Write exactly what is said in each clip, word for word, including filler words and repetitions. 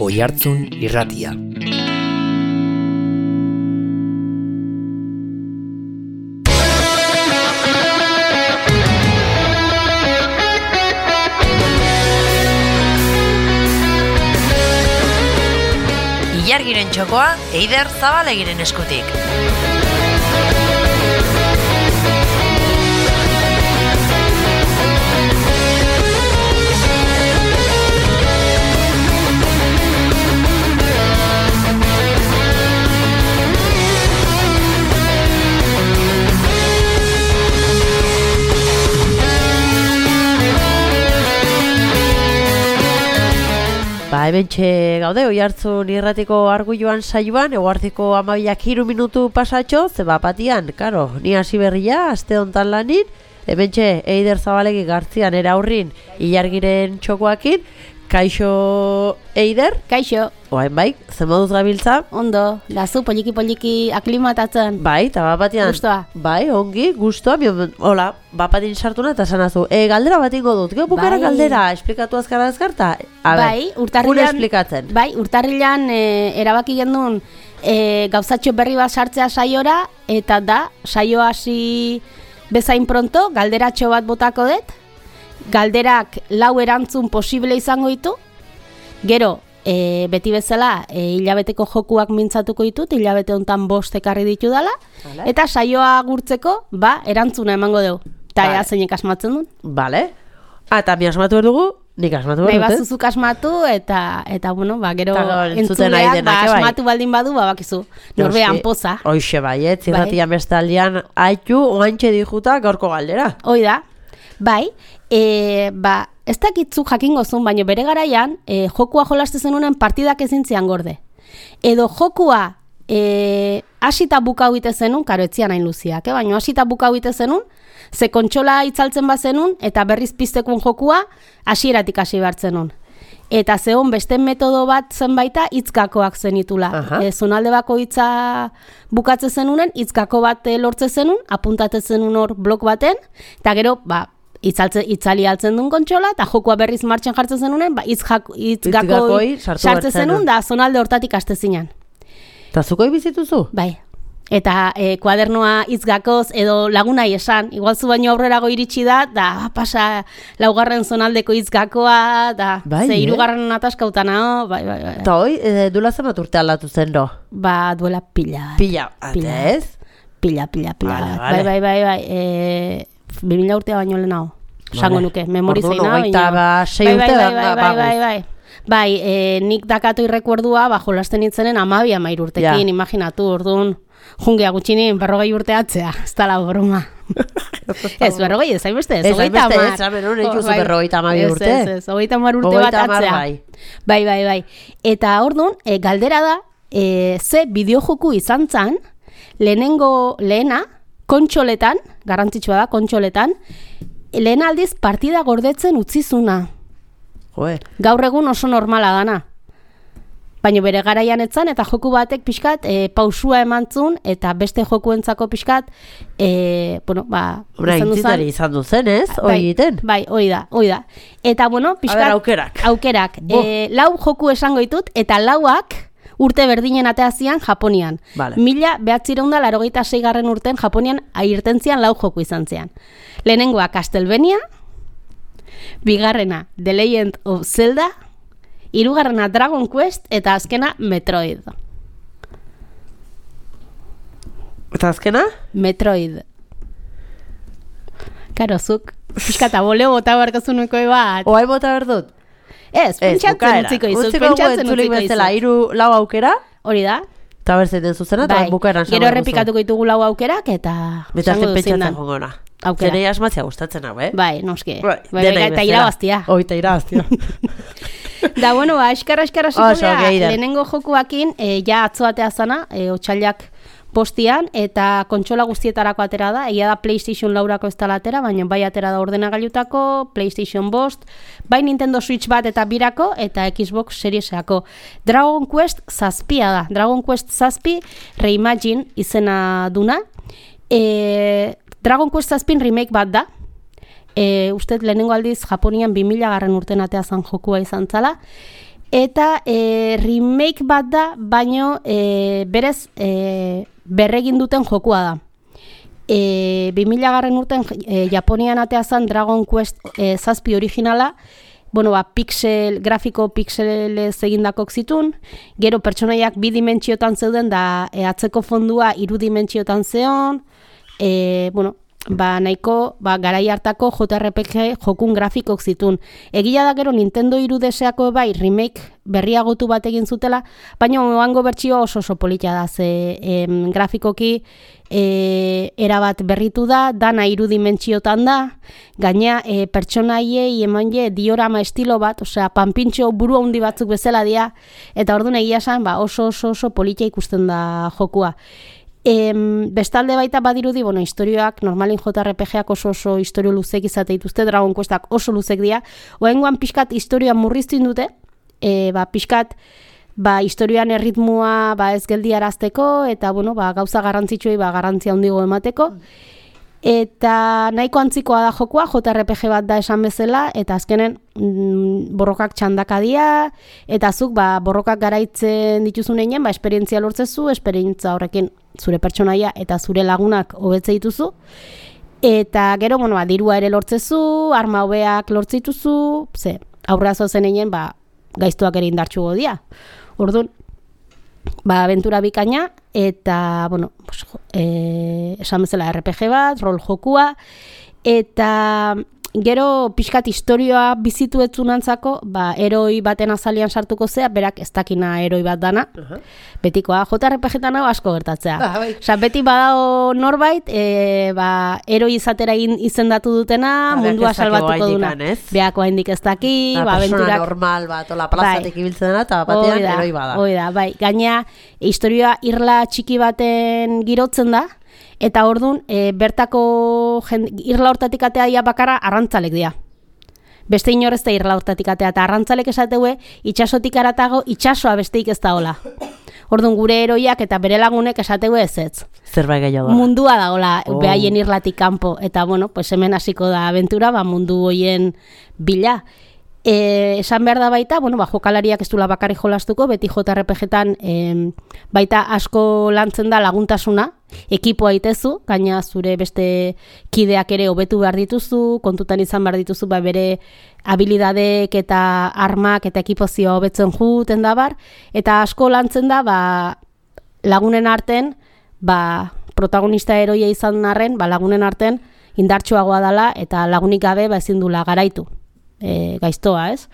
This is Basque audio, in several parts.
Oihartzun Irratia. Ilargiren txokoa Eider Zabalegiren eskutik. Ba, hementxe gaude, Oihartzun Irratiko Arguiluan saioan, eguardiko hamabiak hiru minutu pasatxo, zeba patian, karo, ni hasi berria, aste hontan lanin, hementxe Eider Zabalegi Gartzian era aurrin, Ilargiren txokoakin, kaixo Eider? Kaixo. Oain bai, zen moduz gabiltza? Ondo, lazu poliki-poliki aklimatatzen. Bai, eta bapatian. Gustoa. Bai, ongi, gustoa, hola, bapatin sartuna eta sanazu. E, galdera bat ingo dut, gero bukara bai. Galdera, esplikatu azkara azkarta? A bai, ber, urtarrilan, esplikatzen. Bai, urtarrilan e, erabaki gendun e, gauzatxo berri bat sartzea saiora, eta da, saio hasi bezain pronto, galderatxo bat botako dut, galderak lau erantzun posible izango ditu, gero, e, beti bezala, e, hilabeteko jokuak mintzatuko ditut, hilabete hontan bost ekarri ditu dala, vale. Eta saioa gurtzeko, ba, erantzuna emango dugu. Eta vale. Ea zeinek asmatzen duen. Bale. Ah, eta mi asmatu behar dugu, nik asmatu behar dut, Nahi bazuzuk asmatu, eta, eta bueno, ba, gero entzuleak, ba, asmatu baldin badu, ba, bakizu, norbean poza. Hoixe bai, ez, zirratian bai. Bestaldian, haitu, oantxe dijuta, gaurko galdera. Hoi da, bai, e, ba, ez dakitzu jakingo zuen, baina bere garaian, e, jokua jolaste zenunen partidak ezin zian gorde. Edo jokua e, hasita bukau ite zenun, karo etzian hain luziak, eh? Baina hasita bukau ite zenun, ze kontsola itzaltzen bazenun, eta berriz piztekun jokua hasieratik hasi behartzenun. Eta zehon beste metodo bat zenbaita hitzgakoak zenitula. E, zonalde bako hitza bukatze zenunen, hitzgako bat lortze zenun, apuntate zenun hor blok baten, eta gero, ba, Itzaltze, itzali altzen duen kontsola, eta jokua berriz martxan jartzen zenunen, ba, itzgakoi sartzen zenun, da zonalde hortatik aste zinan. Eta zukoi bizituzu? Bai. Eta e, kuadernoa itzgakoz edo lagunai esan, igual zu baino aurrerago iritsi da, da pasa laugarren zonaldeko itzgakoa, da bai, ze hirugarren eh? Ataskautana, bai, bai, bai. Eta hoi, e, duela zenbat urte aldatu zen do? Ba, duela pila. Pila, atez? Pila, pila, pila. Vale, vale. Bai, bai, bai, bai. E, bi mila urtea baino lehenago. Sango nuke, memori zeina. Orduan, ba, sei bai, urte bai, da, bai, bai, bai, bai. Bai, e, nik dakatu irrekuerdua, ba, jolasten itzenen amabi amair urtekin, ja. Imaginatu, orduan, jungea gutxinin, berrogei urte atzea, ez dala broma. Ez, berrogei, ez hainbeste, ez, hogeita amar. Ez, hainbeste, ez, ez, berrogeita amabi urte. Ez, ez, hogeita amar urte bat atzea. Bai, bai, bai. Eta orduan, e, galdera da, e, ze bideojoku izan zan, lehenengo, lehena, kontxoletan, garrantzitsua da, kontxoletan, lehen aldiz partida gordetzen utzizuna. Joe. Gaur egun oso normala dana. Baina bere garaian etzan, eta joku batek pixkat e, pausua emantzun, eta beste jokuentzako pixkat, e, bueno, ba... Hora, intzitari izan duzen, ez? Hoi Bai, egiten? bai, hoi da, hoi da. Eta, bueno, pixkat... A ber, aukerak. Aukerak. E, lau joku esango ditut, eta lauak urte berdinen ateazian Japonian. Vale. Mila behatzireunda larogeita seigarren urten Japonian airten zian lau joku izan zian. Lehenengoa Castlevania, bigarrena The Legend of Zelda, hirugarrena Dragon Quest, eta azkena Metroid. Eta azkena? Metroid. Karo, zuk, pixkata boleo bota barkazuneko bat. Oai bota berdut? Ez, pentsatzen utziko izu, pentsatzen utziko izu. Hiru lau aukera? Hori da. Eta berzeiten zuzena, eta bai. Bukaeran gero errepikatuko ditugu lau aukerak, eta... Betazten pentsatzen jongona. Zenei asmatzea gustatzen hau, eh? Bai, noski. Bai, bai, bai, eta irabaztia. Oi, eta irabaztia. Da, bueno, ba, eskarra, eskarra ziko geha, lehenengo jokuakin, e, ja atzoatea zana, e, otxailak postian, eta kontsola guztietarako atera da, egia da PlayStation laurako ez dela atera, baina bai atera da ordenagailutako, PlayStation bost, bai Nintendo Switch bat eta birako, eta Xbox Serieseako. Dragon Quest zazpia da, Dragon Quest zazpi Reimagine izena duna, e, Dragon Quest zazpin remake bat da, e, uste lehenengo aldiz Japonian bi mila garren urten atea zan jokua izan zala, Eta e, remake bat da, baino e, berez e, berregin duten jokua da. E, bi mila garren urten e, Japonian atea zen Dragon Quest e, zazpi originala, bueno, ba, pixel, grafiko pixelez egindakok zitun, gero pertsonaiak bi dimentsiotan zeuden da e, atzeko fondua hiru dimentsiotan zeon, e, bueno, ba, nahiko ba, garai hartako J R P G jokun grafikok zitun. Egia da gero Nintendo hiru D S-ako bai remake berriagotu bat egin zutela, baina oango bertsio oso oso politia da, ze em, grafikoki e, erabat berritu da, dana hiru dimentsiotan da, gaina e, pertsonaiei eman je diorama estilo bat, osea, panpintxo buru handi batzuk bezala dira, eta orduan egia esan ba, oso oso oso politia ikusten da jokua. Em, bestalde baita badirudi, bueno, historioak, normalin J R P G-ak oso oso historio luzek izate dituzte, Dragon Questak oso luzek dira, oengoan pixkat historioa murriztu dute, e, ba, pixkat ba, historioan erritmua ba, ez geldiarazteko, eta bueno, ba, gauza garrantzitsuei ba, garrantzia handigo emateko, eta nahiko antzikoa da jokua, J R P G bat da esan bezala, eta azkenen mm, borrokak txandaka dira, eta zuk ba, borrokak garaitzen dituzunean, ba, esperientzia lortzezu, esperientzia horrekin zure pertsonaia eta zure lagunak hobetze dituzu, eta gero, bueno, ba, dirua ere lortzezu, arma hobeak lortze dituzu, ze, aurra zozenean, ba, gaiztuak ere indartxugo dira. Orduan, ba, aventura bikaina, eta, bueno, pues, e, esan bezala R P G bat, rol jokua, eta gero pixkat historioa bizitu etzunantzako, ba, eroi baten azalian sartuko zea, berak ez dakina eroi bat dana, uh-huh. Betikoa, J R P G-tan hau asko gertatzea. Ah, bai. Osa, beti badao norbait, e, ba, eroi izatera izendatu dutena, ah, mundua salbatuko duna. Beako haindik ez daki, ba, aventurak... Persona normal bat, ola plazatek bai. Ibiltzen dena, eta batean da, eroi bada. Hoi da, bai. Gaina, historioa irla txiki baten girotzen da, eta ordun e, bertako jend, irla hortatik atea dia bakarra arrantzalek dira. Beste inor ez da irla hortatik atea, eta arrantzalek esateue itxasotik aratago itxasoa besteik ez da hola. Ordun gure eroiak eta bere lagunek esateue ez ez. Zerbait gehiago da. Mundua da hola, oh. Behaien irlatik kanpo, eta bueno, pues hemen hasiko da aventura, ba, mundu hoien bila. E, esan behar da baita, bueno, ba, jokalariak ez dula bakarrik jolastuko, beti J R P G-tan e, baita asko lantzen da laguntasuna, ekipoa itezu, gaina zure beste kideak ere hobetu behar dituzu, kontutan izan behar dituzu, ba, bere habilidadek eta armak eta ekipozioa hobetzen juten da bar, eta asko lantzen da, ba, lagunen arten, ba, protagonista eroia izan arren, ba, lagunen arten indartsuagoa dela, eta lagunik gabe ba, ezin dula garaitu. E, gaiztoa, ez?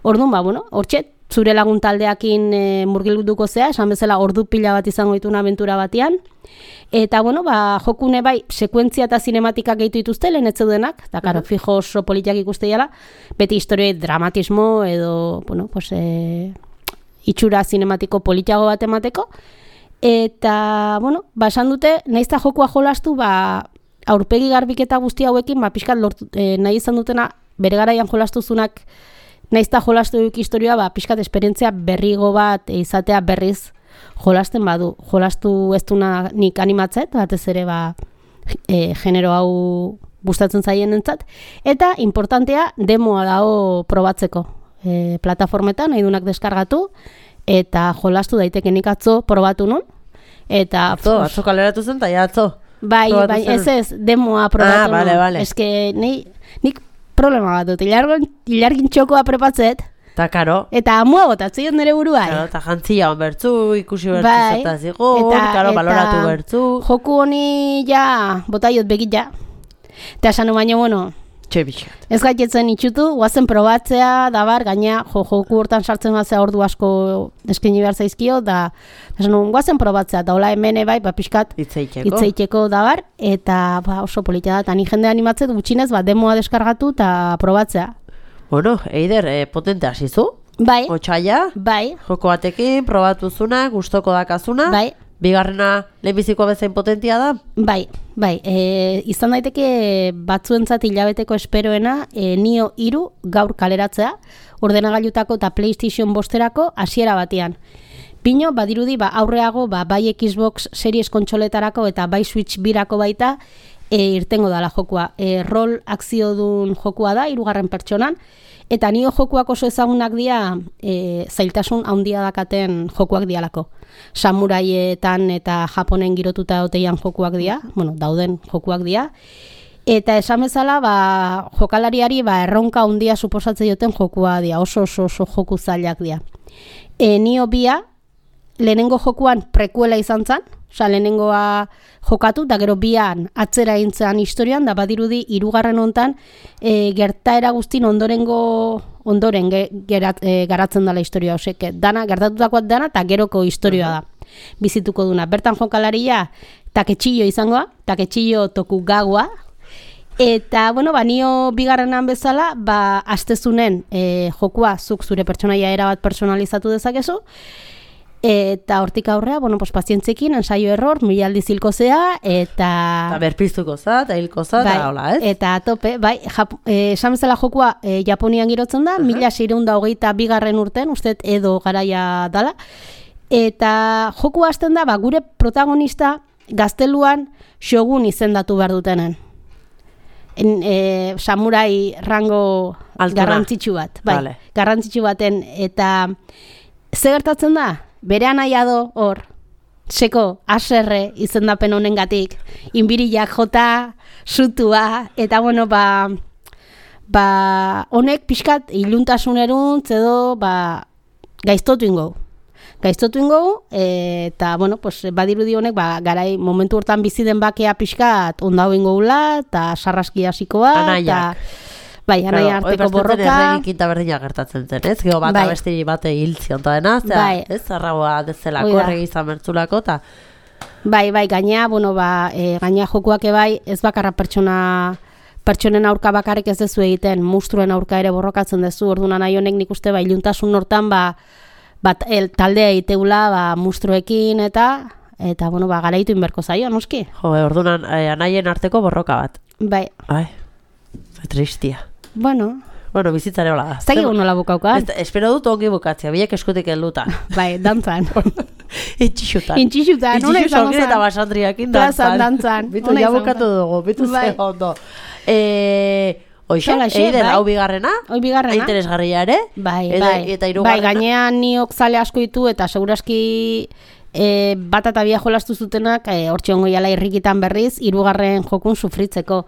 Orduan, ba, bueno, hortxe, zure lagun taldeakin e, murgilduko zea, esan bezala ordu pila bat izango dituna aventura batean, eta, bueno, ba, jokune bai, sekuentzia eta zinematikak gehitu dituzte, lehen etzeudenak, eta, karo, fijo oso politiak ikuste jala, beti historioi dramatismo, edo, bueno, pues, e, itxura zinematiko politiago bat emateko, eta, bueno, ba, esan dute, nahiz eta jokua jolastu, ba, aurpegi garbiketa guzti hauekin, ba, pixkat lortu, e, nahi izan dutena, bere garaian jolastuzunak naizta jolastu duk historioa, ba, pixkat esperientzia berrigo bat izatea berriz jolasten badu. Jolastu ez duna nik animatzet, batez ere ba, e, genero hau gustatzen zaien entzat. Eta, importantea, demoa dago probatzeko e, plataformetan, nahi dunak deskargatu, eta jolastu daitekenik atzo probatu nun. Eta, atzo, atzo kaleratu zen, eta ja atzo. Bai, bai, ez ez, demoa probatu ah, nun. Vale, vale. Ez que, nahi, nik problema bat dut, ilargin txokoa prepatzet, ta karo. Eta amua botatzen nire burua. Karo, eta jantzia hon bertzu, ikusi bertzu bai, zeta zigun, karo, baloratu bertzu. Joku honi ja, botaiot begit ja. Eta esan baina, bueno, txebixat. Ez gaitetzen itxutu, guazen probatzea, dabar, gaina, jo, joku hortan sartzen batzea ordu asko eskaini behar zaizkio, da, esan guazen probatzea, eta hola hemen bai, ba, pixkat, itzeiteko, itzeiteko dabar, eta ba, oso politia da, eta ni jende animatzet gutxinez, ba, demoa deskargatu eta probatzea. Bueno, Eider, eh, potente hasizu? Bai. Otsaia? Bai. Joko batekin, probatuzuna, gustoko dakazuna? Bai. Bigarrena lehenbizikoa bezain potentia da? Bai, bai. E, izan daiteke batzuentzat hilabeteko esperoena e, Nio hiru gaur kaleratzea, ordenagailutako eta PlayStation bosterako hasiera batean. Pino, badirudi, ba, aurreago, ba, bai Xbox Series kontsoletarako eta bai Switch birako baita, e, irtengo dala jokua. E, rol akziodun jokua da, hirugarren pertsonan, eta nio jokuak oso ezagunak dira e, zailtasun handia dakaten jokuak dialako. Samuraietan eta Japonen girotuta oteian jokuak dira, bueno, dauden jokuak dira, eta esan bezala, ba, jokalariari ba, erronka handia suposatzen dioten jokua dira, oso oso oso joku zailak dira. E, nio bia, lehenengo jokuan prekuela izan zen, oza, lehenengoa jokatu, da gero bian atzera egin historian, da badirudi hirugarren hontan e, gertaera guztin ondorengo ondoren ge, gerat, e, garatzen dela historia, osek, dana, gertatutakoat dana, eta geroko historia da, bizituko duna. Bertan jokalaria Taketxillo izangoa, Taketxillo Tokugawa, eta, bueno, ba, nio bigarrenan bezala, ba, astezunen e, jokua zuk zure pertsonaia erabat personalizatu dezakezu, eta hortik aurrea, bueno, pues pazientzekin, ensaio error, mila aldiz hilko zea, eta... Eta berpiztuko za, eta hilko za, bai, eta hola, ez? Eta tope, bai, Jap eh, esan bezala jokua eh, Japonian girotzen da, uh -huh. mila seiehun eta hogeita bigarren urten, uste edo garaia dala, eta jokua hasten da, ba, gure protagonista gazteluan shogun izendatu behar dutenen. En, e, samurai rango Altuna. Garrantzitsu bat, bai, vale. Garrantzitsu baten, eta ze gertatzen da? Bere anaia do hor, seko aserre izendapen honengatik, inbiriak jota, sutua, eta bueno, ba, ba honek pixkat iluntasuneruntz edo ba, gaiztotu ingo. Gaiztotu ingo, e, eta bueno, pues, badirudi honek ba, garai momentu hortan bizi den bakea pixkat ondau ingo gula, eta sarraski hasikoa, Anaiak. Bai, anaia arteko borroka. Erregin kinta berdina gertatzen zen, ez? Gero bat bai. abesti bate hiltzi onta dena, zera, bai. ez? Zarragoa dezelako, erregi izan mertzulako, eta... Bai, bai, gainea, bueno, ba, e, gainea jokuak ebai, ez bakarra pertsona, pertsonen aurka bakarrik ez dezu egiten, mustruen aurka ere borrokatzen dezu, orduan nahi honek nik uste, ba, iluntasun hortan, ba, bat, el, taldea egiteula, ba, mustruekin, eta, eta, bueno, ba, garaitu inberko zaio, noski? Jo, orduan eh, anaien arteko borroka bat. Bai. Ai, zai tristia. Bueno, Bueno, bizitzare hola da. zagigu nola bukaukan. Espero dut ongi bukatzea, biek eskutik helduta. Bai, dantzan. Itxixutan. Intxixutan, ona izango Itxixu zen. eta basandriakin Plazan dantzan. dantzan. Bitu, Ona ja izango bukatu zen. dugu, bitu Bai. ze ondo. Eh, Oixe, Holaxe, eider, bai. hau bigarrena, Hoi bigarrena. interesgarria ere. Bai, Eta- bai. eta bai, hirugarrena? gainean niok zale asko ditu eta seguraski e, bat eta bia jolastu zutenak e, hortxe ongo jala irrikitan berriz, hirugarren jokun sufritzeko.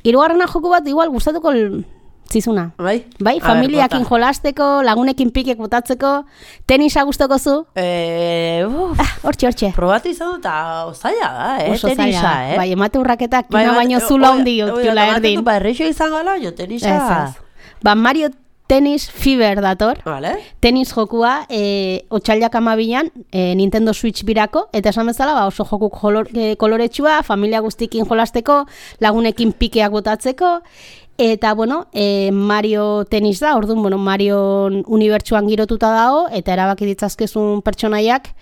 Hirugarrena joku bat igual gustatuko l- zizuna. Bai? Bai, A ber, familiakin bota. jolasteko, lagunekin pikek botatzeko, tenisa gustoko zu? Eh, uf, Ah, hortxe, hortxe. probatu izan dut, eta zaila da, eh, Oso tenisa, zaila. eh? Bai, emate urraketak kina bat- baino o- zula oi- hondi oi, utila eta ematen erdin. du, Ba, errexo izango ala, jo, tenisa. Ez, ez. Ba, Mario Tennis Fever dator. Vale. Tenis jokua e, otxailak amabilan e, Nintendo Switch birako, eta esan bezala ba, oso jokuk jolor, e, koloretsua, familia guztikin jolasteko, lagunekin pikeak botatzeko, eta bueno, e, Mario Tenis da, orduan, bueno, Mario unibertsuan girotuta dago, eta erabaki ditzazkezun pertsonaiak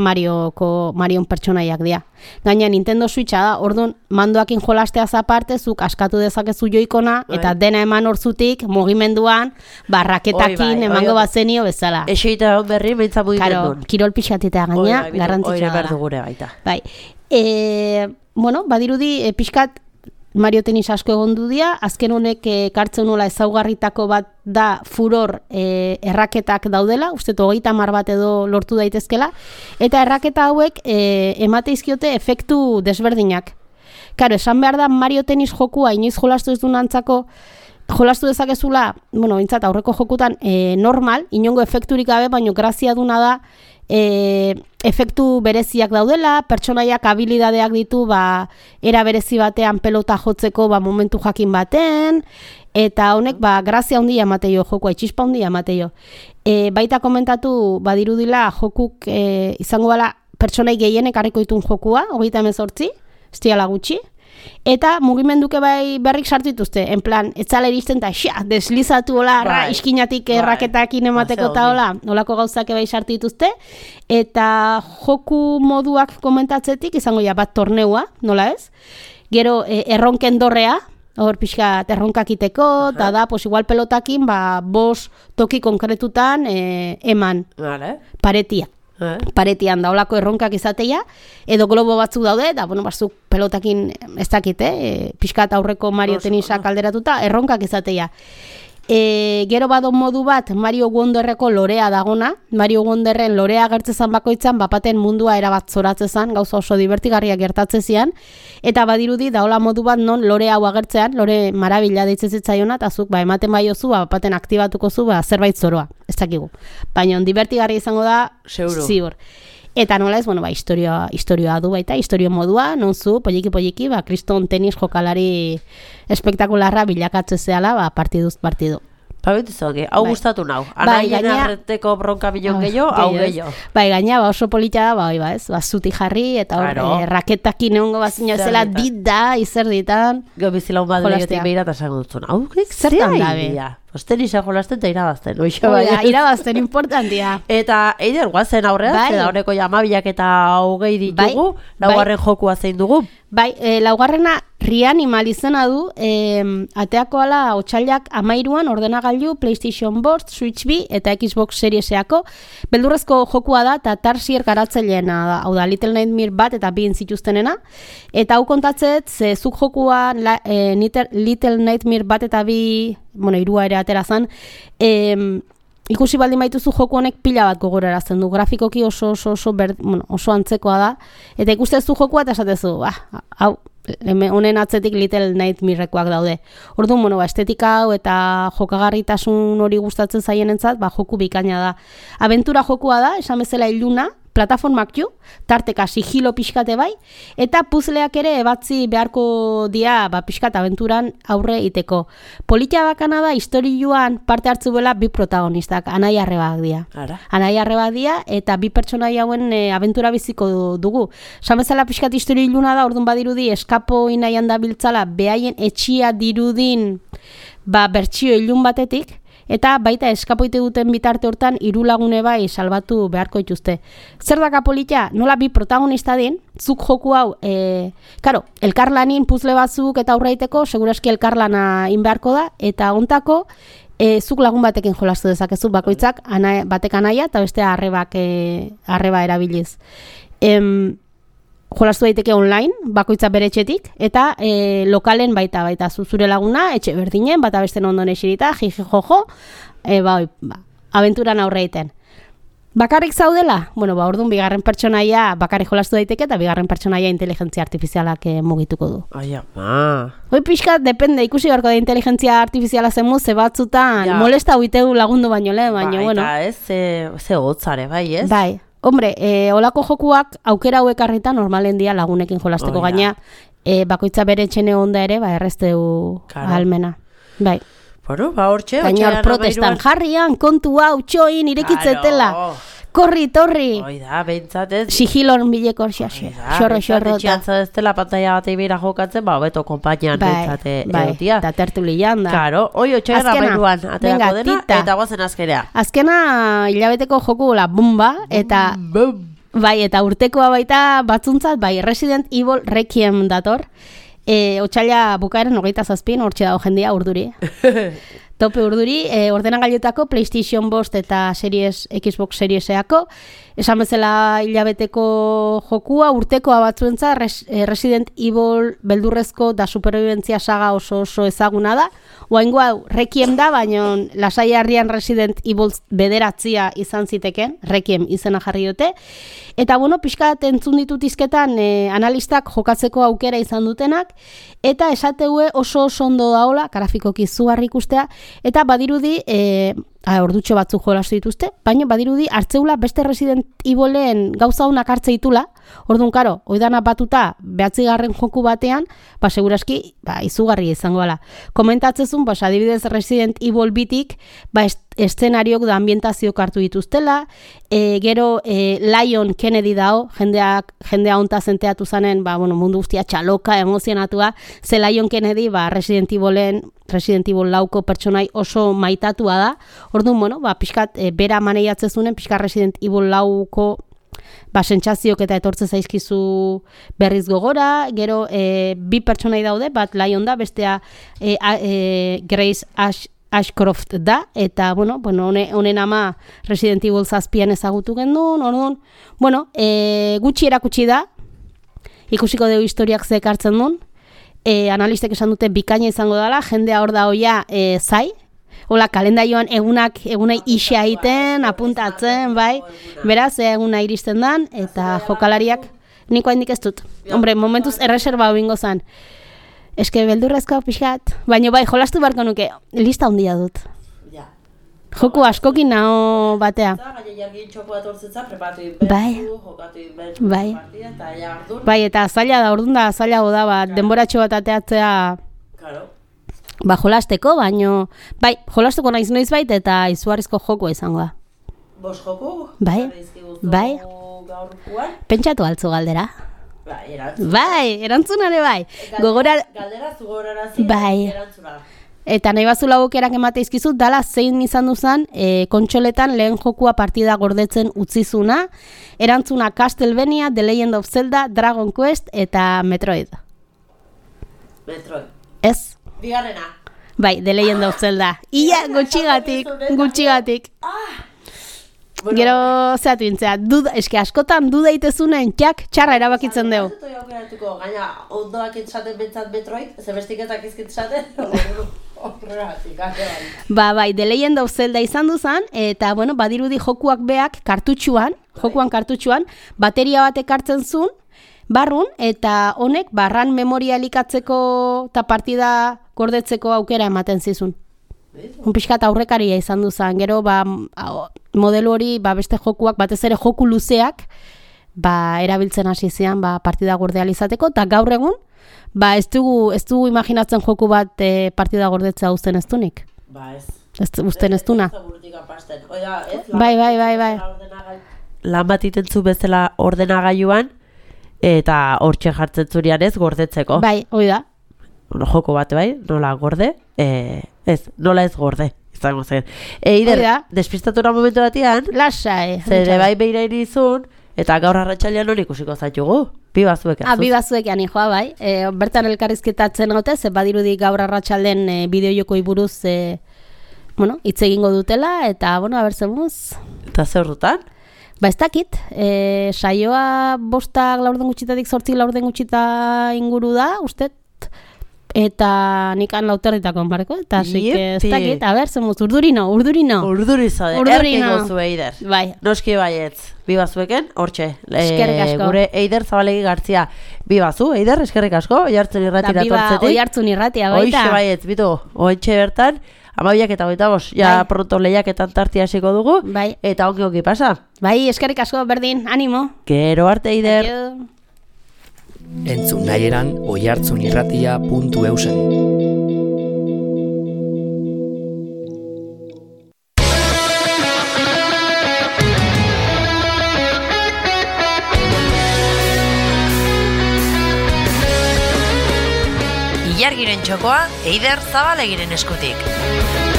Marioko, Marion pertsonaiak dira. Gaina Nintendo Switcha da, orduan, mandoakin jolasteaz aparte, zuk askatu dezakezu joikona, eta Bai. dena eman hortzutik, mugimenduan, barraketakin Hoi bai, emango hoi- bazenio bezala. Eixeita hon berri, beintza mugimendu. Karo, kirol pixatitea gaina, garrantzitsua behar da. dugure baita. Bai. E, bueno, badirudi, e, pixkat, Mario Tenis asko egondu dira, azken honek e, kartzen nola ezaugarritako bat da furor e, erraketak daudela, uste hogeita hamar bat edo lortu daitezkela, eta erraketa hauek e, emate izkiote efektu desberdinak. Karo, esan behar da Mario Tenis jokua inoiz jolastu ez duen antzako, jolastu dezakezula, bueno, bintzat aurreko jokutan e, normal, inongo efekturik gabe, baino grazia duna da, e, efektu bereziak daudela, pertsonaiak habilidadeak ditu, ba, era berezi batean pelota jotzeko ba, momentu jakin baten, eta honek ba, grazia handia emateio jokua, itxispa handia emateio. E, baita komentatu badirudila jokuk e, izango bala pertsonai gehienek harriko ditun jokua, hogeita hemezortzi, ez diala gutxi, eta mugimenduke bai berrik sartu dituzte, en plan, etzala iristen eta xa, deslizatu hola, Bai. iskinatik Bai. erraketakin emateko Ba, eta ze hola, holako gauzak bai sartu dituzte, eta joku moduak komentatzetik izango ja bat torneua, nola ez? Gero e, erronken dorrea, hor pixka erronkakiteko, eta da, pues igual pelotakin, ba, bos toki konkretutan e, eman Vale. paretia. Eh? Paretian daolako erronkak izateia, edo globo batzuk daude, eta, bueno, batzuk pelotakin ez dakit, eh? Pixkat aurreko Mario tenisak alderatuta, erronkak izateia. E, gero bado modu bat Mario Wonderreko lorea dagona, Mario Wonderren lorea agertzezan bakoitzan, bapaten mundua erabat zoratzezan, gauza oso divertigarriak gertatzezian, eta badirudi daola modu bat non lore hau agertzean, lore marabila deitzen zitzaiona, eta zuk, ba, ematen baiozu, ba, bapaten aktibatuko zu, ba, zerbait zoroa, ez dakigu. Baina divertigarria izango da, Seguro. ziur. Eta nola ez, bueno, ba, historioa, historioa du baita, historio modua, non zu, poliki-poliki, ba, kriston tenis jokalari espektakularra bilakatze zehala, ba, partiduz partidu. Pabitu zoke, hau Bai. gustatu nau. Bai, Anaien gainera- arreteko bronka bilon Ah, gehiago, hau gehiago, ez? gehiago. Bai, gaina, ba, oso polita da, ba, oi, ba, ez, ba, zuti jarri, eta hor, Claro. eh, raketakin egongo bazina zela, Zerditan. dit da, izerditan. Gau bizilaun bat Jolastea. legetik behira eta esango dutzen. Hau, Zertan zea dabe? idea. Osten isa jolasten eta irabazten. Oixa Hoi da, bai. irabazten importantia. Eta eider guazen aurrean, Bai. bai. Daureko jamabiak eta hogei ditugu, Bai, laugarren jokua zein dugu. Bai, e, laugarrena Reanimal izena du, e, ateako ala otsailak amairuan ordenagailu PlayStation bost, Switch bi eta Xbox Serieseako. Beldurrezko jokua da eta Tarsier garatzaileena da, hau da Little Nightmare bat eta bi zituztenena. Eta hau kontatzet, ze zuk jokua la, e, Little, Little Nightmare bat eta bi, bueno, irua ere atera zan, e, ikusi baldin baituzu joku honek pila bat gogorarazten du. Grafikoki oso oso oso ber, bueno, oso antzekoa da. Eta ikustezu jokua eta esatezu, ah, hau, hemen honen atzetik Little Nightmarekoak daude. Orduan, bueno, ba, estetika hau eta jokagarritasun hori gustatzen zaienentzat, ba, joku bikaina da. Abentura jokua da, esan bezala iluna, plataformak ju, tarteka sigilo pixkate bai, eta puzleak ere ebatzi beharko dia ba, pixkat abenturan aurre iteko. Politia bakana da, historioan parte hartzu bela bi protagonistak, anai arrebak dia. Ara. Anai arrebak dia, eta bi pertsonai hauen e, abentura biziko dugu. Esan bezala pixkat historio iluna da, orduan badirudi, eskapo inaian da biltzala, behaien etxia dirudin ba, bertsio ilun batetik, eta baita eskapoite duten bitarte hortan hiru lagune bai salbatu beharko dituzte. Zer daka politia? Nola bi protagonista din, zuk joku hau, e, karo, elkarlanin puzle batzuk eta aurraiteko, seguraski elkarlana in beharko da, eta ontako, e, zuk lagun batekin jolastu dezakezu bakoitzak, ana, batek anaia eta beste arrebak, e, arreba erabiliz. Em, jolastu daiteke online, bakoitza bere etxetik, eta e, lokalen baita, baita zuzure laguna, etxe berdinen, bata beste ondon esirita, jiji jojo, e, ba, oi, ba, abenturan aurre egiten. Bakarrik zaudela? Bueno, ba, orduan bigarren pertsonaia bakarrik jolastu daiteke, eta bigarren pertsonaia inteligentzia artifizialak e, mugituko du. Ai, ama. Hoi pixkat, depende, ikusi beharko da inteligentzia artifiziala zenmu, ze batzutan Ja. molesta huitegu lagundu baino lehen, baino, Bai, bueno. eta ez, ze, ze gotzare, bai, ez? Bai, hombre, e, olako jokuak aukera hauek harrita normalen dia lagunekin jolasteko Hoi da. gaina, e, bakoitza bere txene onda ere, ba, errezteu Claro. ahalmena. Bai, Bueno, ba, hortxe, gaina hor protestan jarrian, kontu hau, txoin, irekitzetela, korri, torri, Hoi da, behintzat ez. sigilon bileko orxia, Hoi da, xorro, behintzat xorro, etxean eta, zadeztela pantalla bat eibira jokatzen, ba, beto konpainian bai, behintzat eh, bai, egotia. eta tertulian da. Karo, hoi otxean Azkena, amairuan aterako venga, dena, tita. eta guazen azkerea. Azkena hilabeteko joku la bomba, eta bai, eta urtekoa baita batzuntzat, bai, Resident Evil Requiem dator. E, otsaila bukaeren hogeita zazpin, hortxe dago jendia urduri. Tope urduri, e, ordenagailutako PlayStation bost eta series, Xbox Serieseako. Esan bezala hilabeteko jokua, urtekoa batzuentza, res, e, Resident Evil beldurrezko da superviventzia saga oso oso ezaguna da. Oaingo hau, Requiem da, baina lasai harrian Resident Evil bederatzia izan ziteken, Requiem izena jarri dute. Eta bueno, pixkat entzun ditut izketan e, analistak jokatzeko aukera izan dutenak, eta esateue oso oso ondo daola, grafikoki izugarri ikustea, eta badirudi, e, a, ordutxo batzuk jolastu dituzte, baina badirudi hartzeula beste Resident Evilen gauza honak hartze ditula, orduan karo, oidana batuta behatzigarren joku batean, ba seguraski, ba izugarri izango gala. Komentatzezun, ba adibidez Resident Evil bitik, ba est eszenariok da ambientazioak hartu dituztela, e, gero e, Lion Kennedy dao, jendeak jendea honta zenteatu zanen, ba, bueno, mundu guztia txaloka, emozionatua, ze Lion Kennedy ba, Resident Evilen, Resident Evil lauko pertsonai oso maitatua da, orduan, bueno, ba, pixkat, e, bera maneiatzezunen, pixkat Resident Evil lauko ba, sentsazioak eta etortze zaizkizu berriz gogora, gero e, bi pertsonai daude, bat Lion da, bestea e, a, e, Grace Ash Ashcroft da, eta, bueno, bueno one, honen ama Resident Evil zazpian ezagutu gendun, orduan, bueno, e, gutxi erakutsi da, ikusiko dugu historiak ze ekartzen duen, e, analistek esan dute bikaina izango dela, jendea hor da hoia e, zai, hola, kalendarioan egunak, egunai isa egiten, apuntatzen, bai, beraz, eguna iristen dan, eta jokalariak, niko handik ez dut. Hombre, momentuz erreserba hau ingo zan. Eske beldurrezko pixkat, baina bai, jolastu barko nuke, lista handia dut. Ja. Joku askokin naho batea. Bai. Bai. Bai, eta zaila da, orduan da, zaila da, bat, denboratxo bat ateatzea, ba, jolasteko, baino, bai, jolasteko naiz noiz bait, eta izugarrizko jokua izango da. Bos joku? Bai, bai, pentsatu altzu galdera. Bai, erantzun. Bai, erantzunare bai. Gogora... Galdera zugorarazi, bai. Erantzuna. Eta nahi bazula aukerak emate izkizut, dala zein izan duzan, e, kontsoletan lehen jokua partida gordetzen utzizuna, erantzuna Castlevania, The Legend of Zelda, Dragon Quest eta Metroid. Metroid. Ez? Bigarrena. Bai, The Legend of Zelda. Ia, gutxigatik, gutxigatik. Ah! Bueno, gero zehatu intzea, duda, eske askotan duda itezunen txak txarra erabakitzen dugu. Gaina, ondoak entzaten bentsat Metroid, zebestiketak izkitzaten, horregatik, Ba, bai, The Legend of Zelda izan duzan, eta, bueno, badirudi jokuak beak kartutxuan, jokuan kartutxuan, bateria bat ekartzen zuen, barrun, eta honek, barran memoria elikatzeko eta partida gordetzeko aukera ematen zizun. Un pixkat aurrekaria izan duzan, gero ba, modelo hori ba, beste jokuak, batez ere joku luzeak ba, erabiltzen hasi zian ba, partida gordea izateko, eta gaur egun ba, ez dugu, ez dugu imaginatzen joku bat e, partida gordetzea uzten ez dunik. Ba ez. Ez uzten ez duna. Bai, bai, bai, bai. Lan bat itentzu bezala ordenagailuan, eta hortxe jartzen zurian ez gordetzeko. Bai, hoi da. Joko bat, bai, nola gorde, e, ez, nola ez gorde, izango zen. Eider, despistatura momentu batean, lasai, zere bai beira irizun, eta gaur arratsalean hori ikusiko zaitugu, bi bazuek azuz. Ah, bi bazuek jani joa, bai, e, bertan elkarrizketatzen gaute, ze badirudi gaur arratsalden e, bideojokoi buruz, e, bueno, hitz egingo dutela, eta, bueno, abertzemuz. Eta zer dutan? Ba, ez dakit, e, saioa bostak laurden gutxitatik sortzik laurden gutxita inguru da, uste, eta nikan lauterritako onbareko, eta así que ez dakit, a ber, zemuz, urdurino, urdurino. Urduri zade, erkeko zu Eider. Bai. Noski baietz, bi bazueken, hortxe. Eskerrik asko. Gure Eider Zabalegi Gartzia, bi bazu, Eider, eskerrik asko, Oihartzun irratira tortzetik. Oihartzun irratia, baita. Hoixe baietz, bitu, ointxe bertan, amabiak eta goita bos, ja bai. Pronto lehiaketan tartia hasiko dugu, bai. Eta ongi ongi pasa. Bai, eskerrik asko, berdin, animo. Gero arte, Eider. Adio. Entzun nahi eran oihartzun irratia puntu eusen. Ilargiren txokoa Eider Zabalegiren eskutik.